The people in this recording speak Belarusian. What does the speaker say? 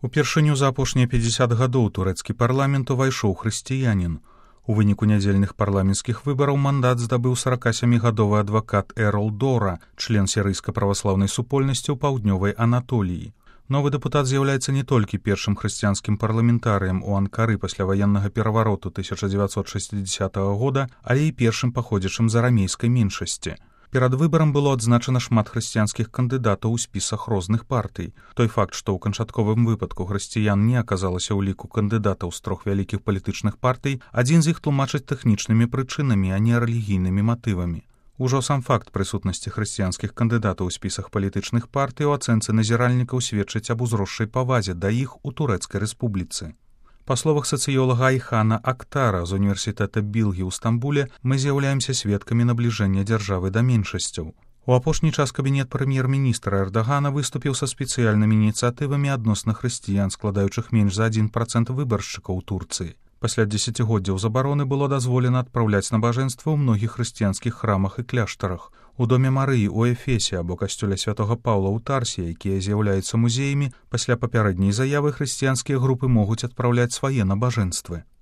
Упершыню за апошнія 50 гадоў турэцкі парламент увайшоў хрысціянін. У выніку нядзельных парламенцкіх выбараў мандат здабыў 47-гадовы адвакат Эрол Дора, член сірыйска-праваслаўнай супольнасці ў паўднёвай Анатоліі. Новы дэпутат з'яўляецца не толькі першым хрысціянскім парламентарыем у Анкары пасля ваеннага перавароту 1960 года, але і першым паходзячым з арамейскай меншасці. Перад выбарам было адзначана шмат хрысціянскіх кандыдатаў у спісах розных партый. Той факт, што ў канчатковым выпадку хрысціян не аказалася ў ліку кандыдатаў з 3 вялікіх палітычных партый, адзін з іх тлумачыць тэхнічнымі прычынамі, а не рэлігійнымі матывамі. Ужо сам факт прысутнасці хрысціянскіх кандыдатаў у спісах палітычных партый у ацэнцы назіральнікаў сведчыць аб узросшай павазе да іх у Турэцкай рэспубліцы. Па словах сацыёлага Айхана Актара з універсітэта Білгі ў Стамбуле, мы з'яўляемся сведкамі набліжэння дзяржавы да меншасцяў. У апошні час кабінет прэм'ер-міністра Эрдагана выступіў са спецыяльнымі ініцыятывамі адносна хрысціян, складаючых менш за 1% выбаршчыкаў у Турцыі. Пасля дзесяцігоддзяў забароны было дазволена адпраўляць набажэнства ў многіх хрысціянскіх храмах і кляштарах. У доме Марыі ў Эфесе або касцёле святога Паўла ў Тарсе, якія з'яўляюцца музеямі, пасля папярэдняй заявы хрысціянскія групы могуць адпраўляць свае набажэнствы.